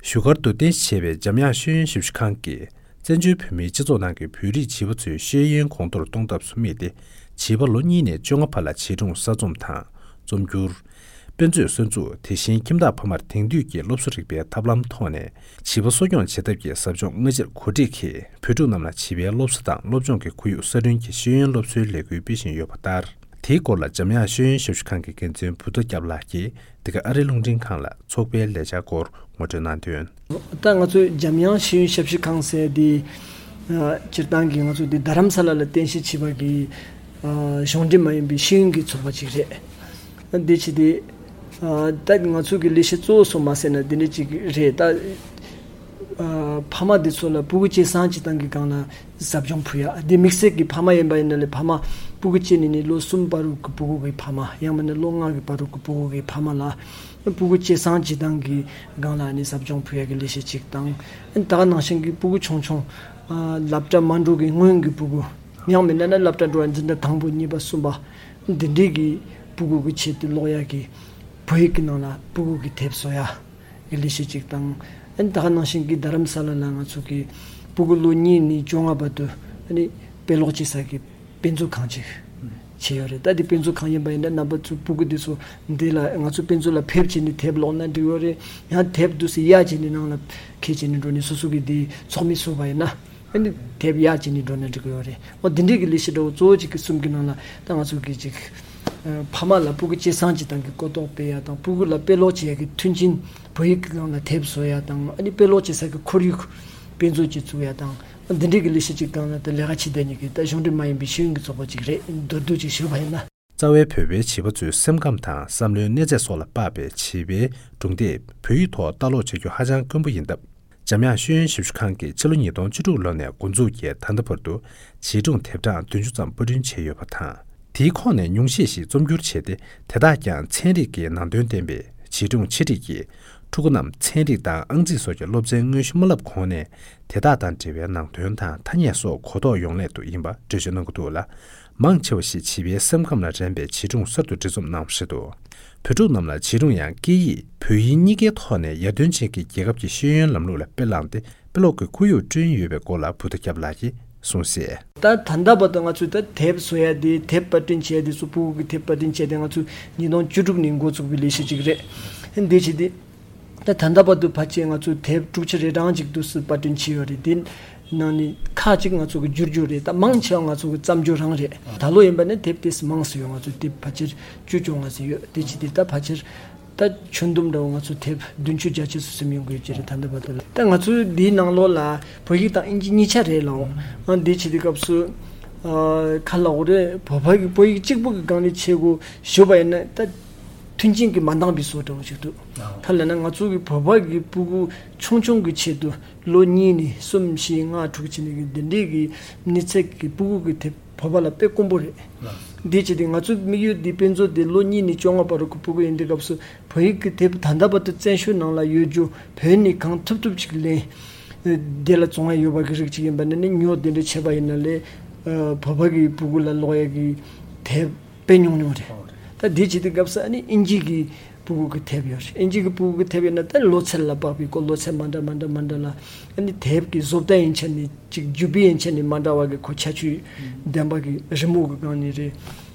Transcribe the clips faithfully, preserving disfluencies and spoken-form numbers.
བཞུགས་སྒར་དུ་རྟེན་གཞི་བྱས་པའི་འཇམ་དབྱངས་ཤེས་ཡོན་ཞབས་ཞུ་ཁང་གིས་བཙན་བྱོལ་བོད་མིའི་སྤྱི་ཚོགས་ནང་གི་བོད་རིགས་བྱིས་པ་ཚོའི་ཤེས་ཡོན་གོང་མཐོར་གཏོང་ཐབས་སུ་དམིགས་ཏེ། བྱིས་པ་ལོ་གཉིས་ནས་བཅོ་ལྔ་བར་ལ་བྱིས་སྒྲུང་གསར་རྩོམ་དང་རྩོམ་སྒྱུར། དཔེ་མཛོད་གསར་འཛུགས། དེ་བཞིན་ཁྱིམ་བདག་ཕ་མར་དེང་དུས་ཀྱི་སློབ་གསོ་རིག་པའི་ཐབས་ལམ་ཐོག་ནས་བྱིས་པ་གསོ་སྐྱོང་བྱེད་ཐབས་ཀྱི་ཟབ་སྦྱོང་སྔ་ཕྱིར་གོ་སྒྲིག་གིས། བོད་ཕྲུག་རྣམས་ལ་བྱིས་པའི་སློབ་གསོ་དང་སློབ་སྦྱོང་གི་ཁོར་ཡུག་གསར་སྐྲུན་གྱི་ཤེས་ཡོན་སློབ་གསོའི་ལས་འགུལ་སྤེལ་བཞིན་ཡོད་པ་ལྟར། དེའི་སྐོར་ལ་འཇམ་དབྱངས་ཤེས་ཡོན་ཞབས་ཞུ་ཁང་གི་འགན་འཛིན་བུ་ཐོ་སྐྱབས་ལགས་ཀྱིས། འདི་ག་ཨ་རིའི་རླུང་འཕྲིན་ཁང་ལ་ཚོགས་པའི་ལས་འཆར་སྐོར་ངོ་སྤྲོད་གནང་དོན། ད་ང་ཚོའི་འཇམ་དབྱངས་ཤེས་ཡོན་ཞབས་ཞུ་ཁང་ཟེར་དེ། ཨ། སྤྱིར་བཏང་གི་ང་ཚོ་འདི་རྡ་རམ་ས་ལ་ལ་རྟེན་གཞི་བྱས་པ་གི། ཨ། གཞུང་འབྲེལ་མ་ཡིན་པའི་ཤེས་ཡོན་གྱི་ཚོགས་པ་ཅིག་རེད། འདི་བྱས་ཏེ། ཨ། ད་ང་ཚོ་གི་ལས་གཞི་གཙོ་བོ་སུ་མ་ཟེར་ན་འདི་འདྲ་ཅིག་རེད་ད། ཨ། ཕ་མ་འདི་ཚོ་ལ་ཕྲུ་གུ་སྐྱེས་སང་སྐྱེས་དང་གི་སྒང་ལ་ཟབ་སྦྱོང་ཕུལ་ཡ། འདི་དམིགས་བསལ་གྱི་ཕ་མ་ཡིན་པ་ཡིན་ན་ལས་ཕ་མ་ཕྲུ་གུ་སྐྱེས་ནས་ནི་ལོ་གསུམ་བར་དུ་གི་ཕྲུ་གུ་གི་ཕ་མ། ཡང་མིན་ན་ལོ་ལྔ་གི་བར་དུ་གི་ཕྲུ་གུ་གི་ཕ་མ་ལ། ཕྲུ་གུ་སྐྱེས་སང་སྐྱེས་དང་གི་སྒང་ལ་ནི་ཟབ་སྦྱོང་ཕུལ་ཡ་གི་ལས་གཞི་གཅིག་དང་། ད་ག་ནང་བཞིན་གྱི་ཕྲུ་གུ་ཆུང་ཆུང་། ཨ། སློབ་གྲྭ་མ་འགྲོ་གི་སྔོན་གྱི་ཕྲུ་གུ། ཡང་མིན་ན་ན་སློབ་གྲྭ་འགྲོ་བ་འཛིན་གྲྭ་དང་པོ་གཉིས་པ་གསུམ་པ། འདི་འདྲའི་གི་ཕྲུ་གུ་གི་ཆེད་དུ་ཀློག་ཡ་གི་བོད་ཡིག་གི་ནང་ལ་ཕྲུ་གུ་གི་དེབ་བཟོ་ཡ་གི་ལས་གཞི་གཅིག་དང་། ཨ་ནི་ད་ག་ནང་བཞིན་གྱི་རྡ་རམ་ས་ལ་ལ་ང་ཚོ་གི་ཕྲུ་གུ་ལོ་གཉིས་ནས་བཅོ་ལྔ་བར་དུ་ཨ་ནི་དཔེ་ཀློག་བྱེད་ས་གི་དཔེ་མཛོད་ཁང་ཅིག་བྱས་ཡོད་རེད། ད་དེ་དཔེ་མཛོད་ཁང་ཡིན་པ་ཡིན་ན་རྣམ་པ་ཚོ་ཕྲུ་གུ་དེ་ཚོ་འདི་ལ་ང་ཚོ་དཔེ་མཛོད་ལ་ཕེབས་བྱས་ནས་དེབ་ཀློག་ན་འགྲིག་ཡོད་རེད། ཡང་དེབ་འདུག་སེ་གཡར་བྱས་ནས་ནང་ལ་འཁྱེར་བྱས་ནས་འགྲོ་ནས་སོ་སོ་གི་དེ་ཚོགས་མི་བཟོས་པ་ཡིན་ན། ཨ་ནི་དེབ་གཡར་བྱས་ནས་འགྲོ་ན་འགྲིག་གི་ཡོད་རེད། འོ་འདི་འདྲའི་གི་ལས་གཞི་འདྲ་བོ་གཙོ་བོ་གཅིག་གི་གསུམ་གི་ནང་ལ་ད་ང་ཚོ་གི་ཅིག་ཨ། ཕ་མ་ལ་ཕྲུ་གུ་སྐྱེས་སང་སྐྱེས་དང་གི་གོ་རྟོགས་སྤེལ་ཡ་དང་ཕྲུ་གུ་ལ་དཔེ་ཀློག་བྱེད་ཡ་གི་མཐུན་རྐྱེན་བོད་ཡིག་གི་སྒང་ལ་དེབ་བཟོ་ཡ་དང་ཨ་ནི་དཔེ་ཀློག་བྱེད་ས་གི་ཁོར་ཡུག་དཔེ་མཛོད་ཅིག་བཙུགས་ཡ་དང་འདི་འདྲའི་གི་ལས་གཞི་གཅིག་སྒང་ལ་ད་ལས་ཀ་བྱེད་བསྡད་མཁན་གྱི་ད་གཞུང་འབྲེལ་མ་ཡིན་པའི་ཤེས་ཡོན་གྱི་ཚོགས་པ་ཅིག་རེད། མདོར་བསྡུས་ཅིག་ཞུས་པ་ཡིན་ན། རྩ་བའི་བོད་པའི་བྱིས་པ་ཚོའི་སེམས་ཁམས་དང་བསམ་བློའི་གནས་ཚད་སོགས་ལ་དཔག་པའི་བྱིས་པའི་སྒྲུང་དེབ་བོད་ཡིག་ཐོག་ལྟ་ཀློག་བྱ་རྒྱུ་ཧ་ཅང་དཀོན་པོ་ཡིན་སྟབས། འཇམ་དབྱངས་ཤེས་ཡོན་ཞབས་ཞུ་ཁང་གིས་ཕྱི་ལོ་ཉིས་སྟོང་བཅུ་དྲུག་ལོ་ནས་འགོ་འཛུགས་ཀྱིས་ད་ལྟ་བར་དུ་བྱིས་སྒྲུང་དེབ་གྲངས་བདུན་ཅུ་ཙམ་པར་སྐྲུན་བྱས་ཡོད་པ་དང་། དེའི་ཁོངས་ནས་ཉུང་ཤས་ཤིག་རྩོམ་སྒྱུར་བྱས་ཏེ། དེ་དག་ཀྱང་ཚན་རིག་གི་ནང་དོན་ལྡན་པའི་བྱིས་སྒྲུང་ཆེད་སྒྲིག་གིས། ཕྲུ་གུ་རྣམས་ཚན་རིག་དང་ཨང་རྩིས་སོགས་ཀྱི་སློབ་ཚན་དངོས་གཞི་མ་བསླབ་གོང་ནས། དེ་དག་དང་འབྲེལ་བའི་ནང་དོན་དང་ཐ་སྙད་སོགས་གོ་རྟོགས་ཡོང་སླད་དུ་ཡིན་པ་འགྲེལ་བརྗོད་གནང་གི་འདུག་ལ། མང་ཆེ་བ་ཞིག་བྱིས་པའི་སེམས་ཁམས་ལ་རན་པའི་བྱིས་སྒྲུང་གསར་དུ་འབྲི་རྩོམ་གནང་བ་རེད་འདུག་བོད་ཕྲུག་རྣམས་ལ་བྱིས་སྒྲུང་ཡང་སྐད་ཡིག་བོད་ཡིག་གཉིས་ཀའི་ཐོག་ནས་ཡར་ཐོན་ཅན་གྱི་རྒྱལ་ཁབ་ཀྱི་ཤེས་ཡོན་ལམ་ལུགས་ལ་དཔེ་བླངས་ཏེ་དཔེ་ཀློག་གི་ཁོར་ཡུག་བསྐྲུན་ཡོད་པའི་སྐོར་ལ་བུ་ཐོ་སྐྱབས་ལགས་ཀྱིས་གསུངས་གསལ། ད་ད་ལྟ་བར་དུ་ང་ཚོས་ད་དེབ་བཟོ་ཡ་དེ་དེབ་པར་སྐྲུན་བྱས་ཡ་དེ་ཚོ་ཕྲུ་གུ་གི་དེབ་པར་སྐྲུན་བྱས་ཏེ་ང་ཚོས་ཉིས་སྟོང་བཅུ་དྲུག་ནས་འགོ་བཙུགས་པའི་ལས་གཞི་ཅིག་རེད། འདི་བྱས་ཏེ། ད་ད་ལྟ་བར་དུ་ཕལ་ཆེར་ང་ཚོས་དེབ་དྲུག་ཅུ་རེ་གྲངས་ཅིག་འདུག་སེ་པར་སྐྲུན་བྱས་ཡོད་རེད། དེ་ནང་ནས་ཁག་ཅིག་ང་ཚོ་གི་བསྒྱུར་རྒྱུ་རེད། ད་མང་ཆེ་བ་ང་ཚོ་གི་བརྩམས་སྒྱུར་རང་རེད། ད་ལོ་ཡིན་པ་ནི་དེབ་དེ་མང་སུ་ཡོད། ང་ཚོ་དེབ་ཕལ་ཆེར་བཅུ་བཅོ་ལྔ་ཙམ་ཡོད། དེ་བྱས་ཏེ་ད་ཕལ་ཆེར་ད་ཁྱོན་བསྡོམས་འདྲ་བོ་ང་ཚོ་དེབ་བདུན་ཅུ་བརྒྱད་ཅུ་ཙམ་ཡོང་གི་ཡོད་ཀྱི་རེད། ད་ལྟ་བར་དུ་ལ་ད་ང་ཚོའི་འདིའི་ནང་ལོགས་ལ་བོད་ཡིག་དང་ཨིན་ཇི་གཉིས་ཆ་རེད་ལ། འོ་འདི་བྱས་ཏེ་སྐབས་སུ་ཨ་ག་ལབ་དགོས་རེད། བོད་པ་གི་བོད་ཡིག་གཅིག་པུ་གི་སྒང་ནས་བྱེད་དགོས་ཞུས་པ་ཡིན་ན་ད། མཐུན་རྐྱེན་གྱིས་མ་འདང་བའི་བཟོ་འདྲ་བོ་ཞིག་འདུག་ཨ། ག་ལབ་ན་ང་ཚོ་གི་བོད་པ་གི་ཕྲུ་གུ་ཆུང་ཆུང་གི་ཆེད་དུ་ལོ་གཉིས་ནས་གསུམ་བཞི་ལྔ་དྲུག་བྱས་ནས་གི་འདི་འདྲའི་གི་གནས་ཚད་ཀྱི་ཕྲུ་གུ་གི་དེབ་བོད་པ་ལ་དཔེ་དཀོན་པོ་རེད། ལགས། འདི་བྱས་ཏེ་ང་ཚོའི་དམིགས་ཡུལ་འདི་དཔེ་མཛོད་འདི་ལོ་གཉིས་ནས་བཅོ་ལྔ་བར་དུ་གི་ཕྲུ་གུ་ཡིན་དུས་སྐབས་སུ་བོད་ཡིག་གི་དེབ་ད་ལྟ་བར་དུ་བཙན་བྱོལ་ནང་ལ་ཡོད་རྒྱུ་བོད་ནས་གང་ཐུབ་ཐུབ་ཅིག་ལེན། དེ་ལ་བཙོང་ཡ་ཡོད་པ་གི་རིགས་ཅིག་ཡིན་པ་ནི་ནི་ཉོ་དེ་འདྲ་བྱས་པ་ཡིན་ན་ལས་བོད་པ་གི་ཕྲུ་གུ་ལ་ཀློག་ཡ་གི་དེབ། དཔེ་ཉུང་ཉུང་རེད། ད་འདི་བྱེད་དུས་སྐབས་སུ་ཨ་ནི་ཨིན་ཇི་གི་ཕྲུ་གུ་གི་དེབ་ཡོད་རེད། ཨིན་ཇི་གི་ཕྲུ་གུ་གི་དེབ་ཡོད་ན་ད་ལོ་ཚད་ལ་དཔག་པའི་ཁོ་ལོ་ཚད་མ་འདྲ་མ་འདྲ་མ་འདྲ་ལ་ཨ་ནི་དེབ་ཀྱི་བཟོ་ལྟ་ཡན་ཆད་ནས་ཅིག་རྒྱུ་སྤུས་ཡན་ཆད་ནས་མ་འདྲ་བ་གི་ཁོ་ཁྱད་ཆོས་ལྡན་པ་གི་རི་མོ་གི་སྒང་ནས་རེད།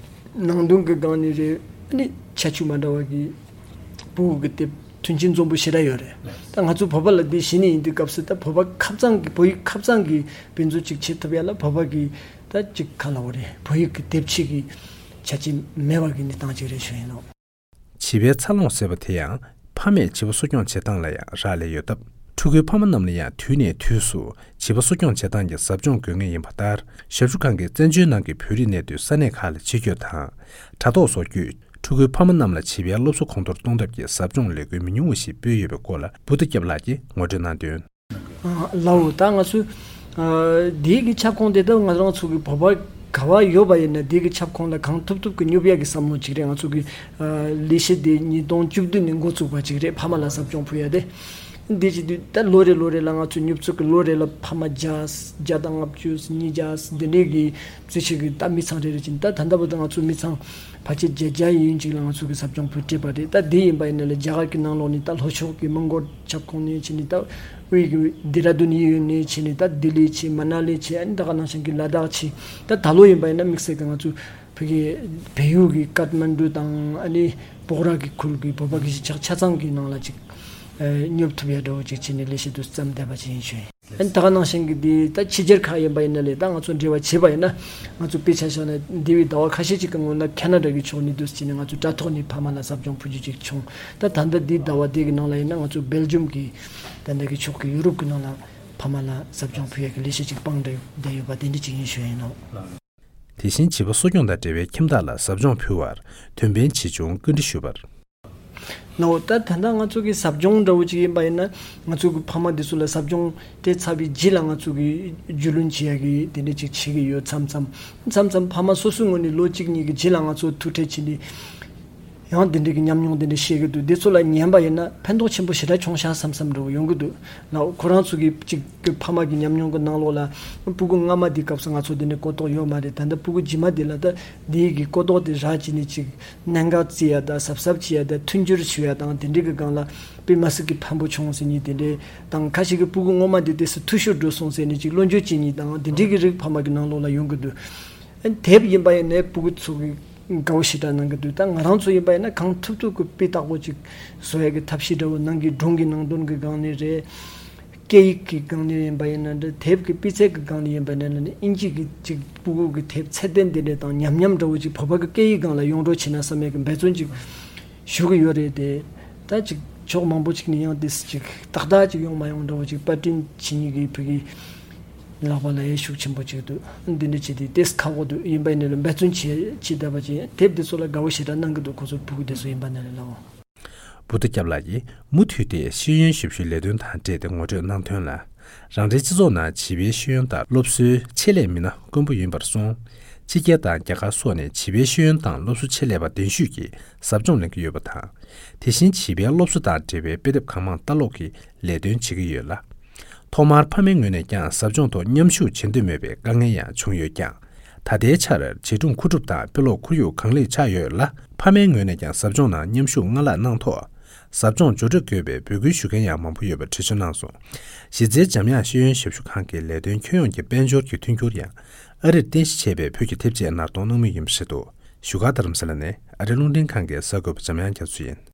ནང་དོན་གི་སྒང་ནས་རེད། ཨ་ནི་ཁྱད་ཆོས་མ་འདྲ་བ་གི་ཕྲུ་གུ་གི་དེབ་མཐུན་རྐྱེན་འཛོམས་པོ་ཞེ་དྲག་ཡོད་རེད། ད་ང་ཚོ་བོད་པ་ལ་འདི་གཞི་ནས་ཡིན་དུས་སྐབས་སུ་ད་བོད་པ་ཁ་རྩང་གི་བོད་ཡིག་ཁ་རྩང་གི་དཔེ་མཛོད་ཅིག་བྱེད་ཐུབ་ཡ་ལ་བོད་པ་གི་ད་ཅིག་ག་ལབ་དགོས་རེད། བོད་ཡིག་གི་དེབ་ཆེད་ཀྱི་ཆ་རྐྱེན་མེད་པ་གི་གནས་སྟངས་ཅིག་རེད་ཞུ་ཡིན་ནོ། བྱིས་པའི་འཚར་ལོངས་ཟེར་བ་དེ་ཡང་ཕ་མས་བྱིས་པ་གསོ་སྐྱོང་བྱེད་སྟངས་ལ་ཡང་རག་ལས་ཡོད་སྟབས། ཕྲུ་གུའི་ཕ་མ་རྣམས་ལ་ཡང་དུས་ནས་དུས་སུ་བྱིས་པ་གསོ་སྐྱོང་བྱེད་སྟངས་ཀྱི་ཟབ་སྦྱོང་དགོས་ངེས་ཡིན་པ་ལྟར། ཞབས་ཞུ་ཁང་གིས་བཙན་བྱོལ་ནང་གི་བོད་རིགས་གནས་སྡོད་ས་གནས་ཁག་ལ་ཕྱི་སྐྱོད་དང་། དྲ་ཐོག་སོགས་བརྒྱུད་ཕྲུ་གུའི་ཕ་མ་རྣམས་ལ་བྱིས་པའི་སློབ་གསོ་གོང་མཐོར་གཏོང་ཐབས་ཀྱི་ཟབ་སྦྱོང་ལས་འགུལ་མི་ཉུང་བ་ཞིག་སྤེལ་ཡོད་པའི་སྐོར་ལ་བུ་ཐོ་སྐྱབས་ལགས་ཀྱིས་ངོ་སྤྲོད་གནང་དོན། ཨ་ལའོ། ད་ང་ཚོས་ཨ་འདི་གི་ཁྱབ་ཁོངས་དེ་ད་ང་རང་ཚོ་གི་བོད་པ་ག་བ་ཡོད་པ་ཡིན་ན་འདི་གི་ཁྱབ་ཁོངས་ལ་གང་ཐུབ་ཐུབ་ཀྱི་སྙོབ་ཡ་གི་བསམ་བློ་ཅིག་རེད། ང་ཚོ་གི་ཨ་ལས་གཞི་དེ་ཉིས་སྟོང་བཅུ་བདུན་ནས་འགོ་བཙུགས་པ་ཅིག་རེད། ཕ་མ་ལ་ཟབ་སྦྱོང་ཕུལ་ཡ་དེ། འདི་བྱེད་དུས་ད་ལོ་རེ་ལོ་རེ་ལ་ང་ཚོ་ཉོབ་ཚོད་ཀྱི་ལོ་རེ་ལ་ཕ་མ་བརྒྱ། བརྒྱ་དང་ལྔ་བཅུ། ཉིས་བརྒྱ། འདི་འདྲའི་གི་རྩིས་ཆད་ཀྱི་ད་མི་ཚང་རེ་རེ་བྱིན། ད་ད་ལྟ་བར་དུ་ང་ཚོ་མི་ཚང་ཕལ་ཆེར་བརྒྱད་བརྒྱ་ཡན་ཅིག་ལ་ང་ཚོ་གི་ཟབ་སྦྱོང་ཕུལ་སྤྲད་པ་རེད། ད་འདི་ཡིན་པ་ཡིན་ན་ལས་རྒྱ་གར་གྱི་ནང་ལོགས་ནས་ད་ལྷོ་ཕྱོགས་ཀྱི་མོན་གྷོ་ཁྱབ་ཁོངས་ནས་བྱས་ནས། ད་དབུས་ཀྱི་ལྡེ་ར་ལྡུན་ཡུལ་ནས་བྱས་ནས། ད་ལྡི་ལི་བྱས། མ་ན་ལི་བྱས། ཨ་ནི་ད་ག་ནང་བཞིན་གྱི་ལ་དྭགས་བྱས། ད་ད་ལོ་ཡིན་པ་ཡིན་ན་དམིགས་བསལ་གྱི་ང་ཚོ་བོད་ཀྱི་བལ་ཡུལ་གྱི་ཀཏ་མན་ཌུ་དང་ཨ་ནི་པོག་ར་གི་ཁུལ་གྱི་བོད་པ་གི་གཞིས་ཆགས་ཆ་ཚང་གི་ནང་ལ་ཅིག་ཨ་ཉོབ་ཐུབ་ཡ་འདྲ་བོ་ཅིག་བྱས་ནས་ལས་བྱེད་དུ་བརྩམས་བསྡད་པ་ཅིག་ཡིན་ཞུ་ཡིན། ཨ་ནི་ད་ག་ནང་བཞིན་གྱི་འདི་ད་ཕྱི་རྒྱལ་ཁག་ཡིན་པ་ཡིན་ན་ལས། ད་ང་ཚོ་འབྲེལ་བ་བྱས་པ་ཡིན་ན། ང་ཚོ་དཔེ་ཆ་བཞག་ན་འདས་པའི་ཟླ་བ་ཁ་ཤས་ཅིག་གི་སྔོན་ན་ཁ་ན་ཌ་གི་ཕྱོགས་ནས་འདུག་སེ་བྱས་ནས་ང་ཚོ་དྲ་ཐོག་ནས་ཕ་མ་ལ་ཟབ་སྦྱོང་ཕུལ་རྒྱུ་ཅིག་བྱུང་། ད་ད་ལྟ་འདི་ཟླ་བ་འདི་གི་ནང་ལ་ཡིན་ན་ང་ཚོ་སྦེལ་ཇམ་གྱི་ད་ལྟ་གི་ཕྱོགས་ཀྱི་ཡུ་རོབ་ཀྱི་ནང་ལ་ཕ་མ་ལ་ཟབ་སྦྱོང་ཕུལ་ཡ་གི་ལས་གཞི་ཅིག་སྤང་བསྡད་བསྡད་ཡོད་པ་དེ་འདྲ་ཅིག་ཡིན་ཞུ་ཡ་ཡིན་ནོ། དེ་བཞིན་བྱིས་པ་གསོ་སྐྱོང་དང་འབྲེལ་བའི་ཁྱིམ་བདག་ལ་ཟབ་སྦྱོང་ཕུལ་བར་དོན་ཕན་ཇི་བྱུང་བཀའ་འདྲི་ཞུས་པར། ནའོ། ད་ད་ལྟ་ང་ཚོ་གི་ཟབ་སྦྱོང་འདྲ་བོ་ཅིག་ཡིན་པ་ཡིན་ན། ང་ཚོ་གི་ཕ་མ་འདི་ཚོ་ལ་ཟབ་སྦྱོང་སྤྲད་ཚར་བའི་རྗེས་ལ་ང་ཚོ་གི་རྒྱུས་ལོན་བྱེད་ཡ་གི་དེ་འདྲ་ཅིག་བྱེད་ཀྱི་ཡོད། མཚམས་མཚམས་མཚམས་མཚམས་ཕ་མ་སོ་སོའི་ངོས་ནས་ལོ་གཅིག་གཉིས་ཀྱི་རྗེས་ལ་ང་ཚོ་ཐུག་འཕྲད་བྱས་ནས། ཡང་དེ་འདྲའི་གི་ཉམས་མྱོང་དེ་འདྲ་བཤད་ཀྱི་འདུག་དེ་ཚོ་ལ་ཉན་པ་ཡིན་ན་ཕན་ཐོགས་ཆེན་པོ་ཞེ་དྲག་བྱུང་ཤག་བསམ་བསམ་འདྲ་བོ་ཡོང་གི་འདུག་ལགས། ཁོ་རང་ཚོ་གི་གཅིག་གི་ཕ་མ་གི་ཉམས་མྱོང་གི་ནང་ལོགས་ལ། སྤུ་གུ་སྔ་མ་དེ་སྐབས་སུ་ང་ཚོ་དེ་འདྲའི་གོ་རྟོགས་ཡོད་མ་རེད། ད་ལྟ་སྤུ་གུ་རྗེས་མ་དེ་ལ་ད་དེའི་གི་གོ་རྟོགས་དེ་རག་བྱས་ནས་ཅིག་གནད་འགག་བརྩི་ཡ་དང་གཟབ་གཟབ་བྱེད་ཡ་དང་མཐུན་འགྱུར་ཞུ་ཡ་དང་དེ་འདྲའི་གི་སྒང་ལ་དཔེ་མི་སྲིད་གི་ཕན་པོ་བྱུང་ཟེར་ནས། དེ་འདྲའི་དང་ཁ་ཤས་ཀྱི་སྤུ་གུ་སྔོན་མ་དེ་དེ་སུ་འཐུས་ཤོར་འགྲོ་སོང་ཟེར་ནས་ཅིག་བློ་འགྱོད་བྱེད་མཁན་དང་དེ་འདྲའི་གི་རིགས་ཕ་མ་གི་ནང་ལོགས་ལ་ཡོང་གི་འདུག་དེབ་ཡིན་པ་ཡིན་ནའི་སྤུ་གུ་ཚོ་གི་དགའ་བོ་ཞེ་དྲག་གནང་གི་འདུག་ད་ང་རང་ཚོ་ཡིན་པ་ཡིན་ན་གང་ཐུབ་ཐུབ་ཀྱི་དཔེ་བརྟག་པོ་ཅིག་བཟོ་ཡ་གི་ཐབས་ཤེས་འདྲ་བོ་གནང་གི། སྒྲུང་གི་ནང་དོན་གི་སྒང་ནས་རེད། སྐད་ཡིག་གི་སྒང་ནས་ཡིན་པ་ཡིན་ན་འདྲ། དེབ་ཀྱི་སྤུས་ཚད་ཀྱི་སྒང་ནས་ཡིན་པ་ཡིན་ན་ནི། དབྱིན་ཇི་གི་ཅིག་སྤུ་གུ་གི་དེབ་ཚད་ལྡན་དེ་འདྲ་དང་ཉམས་ཉམས་འདྲ་བོ་ཅིག་བོད་པ་གི་སྐད་ཡིག་སྒང་ལ་ཡོང་རོགས་བྱེད་ན་བསམ་ཡ་གི་འབད་བརྩོན་ཅིག་ཞུ་གི་ཡོད་རེད་དེ། ད་ཅིག་ཕྱོགས་མང་པོ་ཅིག་ནས་ཡང་དེ་ཅིག་ཏག་ཏག་ཅིག་ཡོང་མ་ཡོང་འདྲ་བོ་ཅིག་པར་སྐྲུན་བྱེད་མཁན་གྱི་བོད་ཀྱི་ལག་པ་ལ་ཡ་ཤུགས་ཆེན་པོ་ཅིག་འདུག་འདི་འདྲ་བྱས་ཏེ་དེ་ཁག་པོ་འདུག་ཡིན་པ་ཡིན་ན་ལ་འབད་བརྩོན་བྱེད་བྱེད་བསྡད་པ་ཅིག་ཡིན། དེབ་འདི་ཚོ་ལ་དགའ་བོ་ཞེ་དྲག་གནང་གི་འདུག་ཁོ་ཚོ་སྤུ་གུ་དེ་ཚོ་ཡིན་པ་ན་ལ་ལའོ། བུདྡྷ་སྐྱབས་ལགས་ཀྱིས་མུ་མཐུད་དེ་ཤེས་ཡོན་ཞབས་ཞུའི་ལས་དོན་དང་འབྲེལ་ཏེ་ངོ་སྤྲོད་གནང་དོན་ལ། རང་རེའི་སྤྱི་ཚོགས་ནང་བྱིས་པའི་ཤེས་ཡོན་དང་སློབ་གསོའི་ཆེད་ལས་མི་སྣ་དཀོན་པོ་ཡིན་པར་སོང་། ཕྱི་རྒྱལ་དང་རྒྱ་གར་སོགས་ནས་བྱིས་པའི་ཤེས་ཡོན་དང་སློབ་གསོའི་ཆེད་ལས་པ་གདན་ཞུས་ཀྱིས་ཟབ་སྦྱོང་ལེན་གྱི་ཡོད་པ་དང་། དེ་བཞིན་བྱིས་པའི་སློབ་གསོ་དང་འབྲེལ་བའི་དཔེ་དེབ་གང་མང་ལྟ་ཀློག་གི་ལས་དོན་བྱེད་ཀྱི་ཡོད་ལ། ཐོག་མར་ཕ་མའི་ངོས་ནས་ཀྱང་ཟབ་སྦྱོང་ཐོག་མཉམ་ཞུགས་བྱེད་འདོད་མེད་པའི་དཀའ་ངལ་ཡང་བྱུང་ཡོད་ཀྱང་། ད་ལྟའི་ཆར་བྱིས་སྒྲུང་མཁོ་སྒྲུབ་དང་དཔེ་ཀློག་ཁོར་ཡུག་གང་ལེགས་ཆགས་ཡོད་ལ། ཕ་མའི་ངོས་ནས་ཀྱང་ཟབ་སྦྱོང་ནང་མཉམ་ཞུགས་སྔར་ལྷག་གནང་ཐོག་ཟབ་སྦྱོང་མཇུག་སྒྲིལ་དགོས་པའི་འབོད་སྐུལ་ཞུ་མཁན་ཡང་མང་པོ་ཡོད་པ་འགྲེལ་བརྗོད་གནང་སོང་། གཞི་རྩའི་འཇམ་དབྱངས་ཤེས་ཡོན་ཞབས་ཞུ་ཁང་གི་ལས་དོན་ཁྱོན་ཡོངས་ཀྱི་དཔལ་འབྱོར་གྱི་མཐུན་འགྱུར་ཡང་ཨ་རིར་རྟེན་གཞི་བྱས་པའི་བོད་ཀྱི་དེབ་ཆེད་ནར་གཏོང་གནང་མུས་ཡིན་པ་རེད་འདུག་བཞུགས་སྒར་རྡ་རམ་ས་ལ་ནས་ཨ་རིའི་རླུང་འཕྲིན་ཁང་གི་གསར་འགོད་པ་འཇམ་དབྱངས་རྒྱ་མཚོ་ཡིན།